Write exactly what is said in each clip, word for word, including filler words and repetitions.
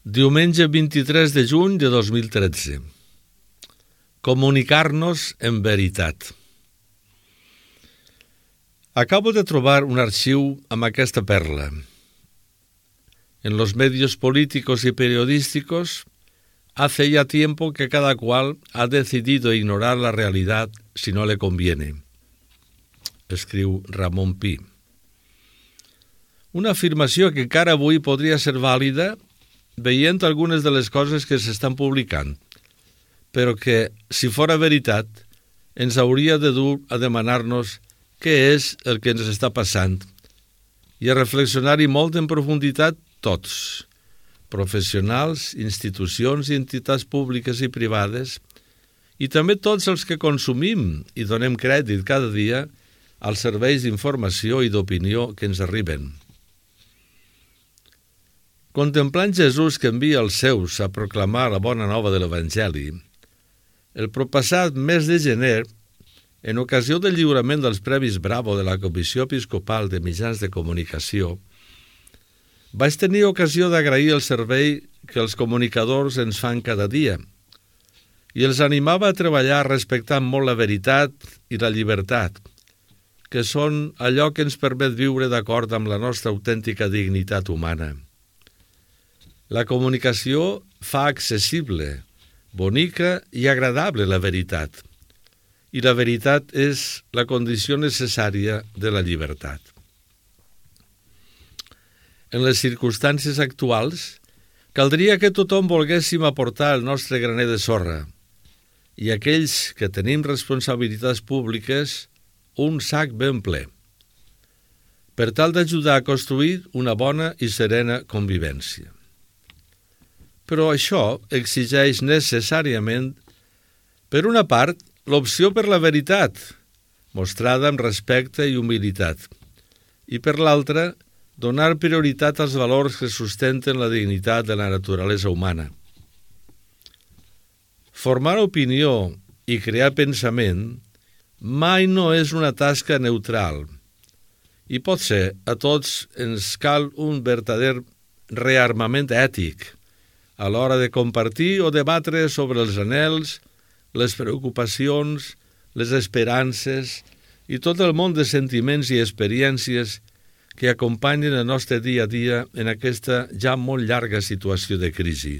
Diumenge vint-i-tres de juny de dos mil tretze. Comunicar-nos en veritat. Acabo de trobar un archivo amb aquesta perla. En los medios políticos y periodísticos, hace ya tiempo que cada cual ha decidido ignorar la realidad si no le conviene. Escriu Ramon Pi. Una afirmació que encara avui podria ser vàlida veient algunes de les coses que s'estan publicant, però que, si fora veritat, ens hauria de dur a demanar-nos què és el que ens està passant i a reflexionar-hi molt en profunditat tots, professionals, institucions i entitats públiques i privades, i també tots els que consumim i donem crèdit cada dia als serveis d'informació i d'opinió que ens arriben. Contemplant Jesús que envia els seus a proclamar la bona nova de l'Evangeli, el proppassat mes de gener, en ocasió del lliurament dels Premis Bravo de la Comissió Episcopal de Mitjans de Comunicació, vaig tenir ocasió d'agrair el servei que els comunicadors ens fan cada dia i els animava a treballar respectant molt la veritat i la llibertat, que són allò que ens permet viure d'acord amb la nostra autèntica dignitat humana. La comunicació fa accessible, bonica i agradable la veritat, i la veritat és la condició necessària de la llibertat. En les circumstàncies actuals, caldria que tothom volguéssim aportar el nostre graner de sorra, i aquells que tenim responsabilitats públiques, un sac ben ple, per tal d'ajudar a construir una bona i serena convivència. Però això exigeix necessàriament, per una part, l'opció per la veritat, mostrada amb respecte i humilitat, i per l'altra, donar prioritat als valors que sustenten la dignitat de la naturalesa humana. Formar opinió i crear pensament mai no és una tasca neutral, i potser a tots ens cal un verdader rearmament ètic, a l'hora de compartir o debatre sobre els anhels, les preocupacions, les esperances i tot el món de sentiments i experiències que acompanyen el nostre dia a dia en aquesta ja molt llarga situació de crisi.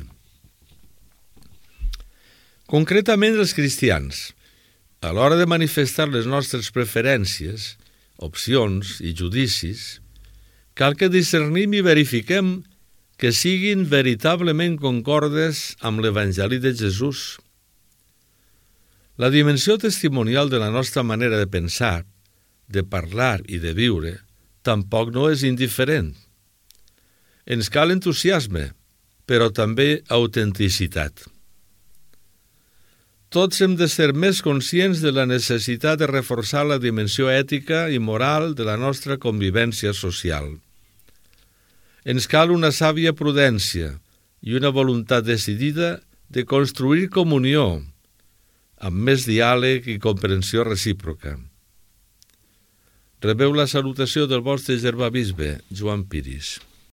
Concretament els cristians, a l'hora de manifestar les nostres preferències, opcions i judicis, cal que discernim i verifiquem que siguin veritablement concordes amb l'Evangeli de Jesús. La dimensió testimonial de la nostra manera de pensar, de parlar i de viure tampoc no és indiferent. Ens cal entusiasme, però també autenticitat. Tots hem de ser més conscients de la necessitat de reforçar la dimensió ètica i moral de la nostra convivència social. Ens cal una sàvia prudència i una voluntat decidida de construir comunió, amb més diàleg i comprensió recíproca. Rebeu la salutació del vostre germà bisbe, Joan Piris.